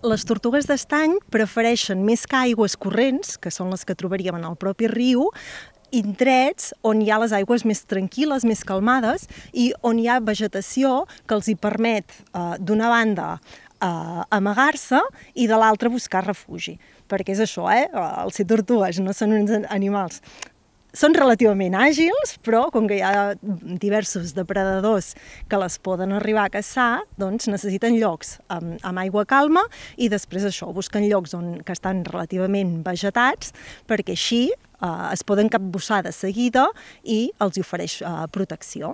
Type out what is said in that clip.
Les tortugues d'estany prefereixen més que aigües corrents, que són les que trobaríem en el propi riu, indrets on hi ha les aigües més tranquil·les, més calmades, i on hi ha vegetació que els hi permet, d'una banda, amagar-se i de l'altra buscar refugi. Perquè és això, els tortugues no són uns animals. Són relativament àgils, però com que hi ha diversos depredadors que les poden arribar a caçar, doncs necessiten llocs amb aigua calma i després això, busquen llocs que estan relativament vegetats perquè així es poden capbussar de seguida i els ofereix protecció.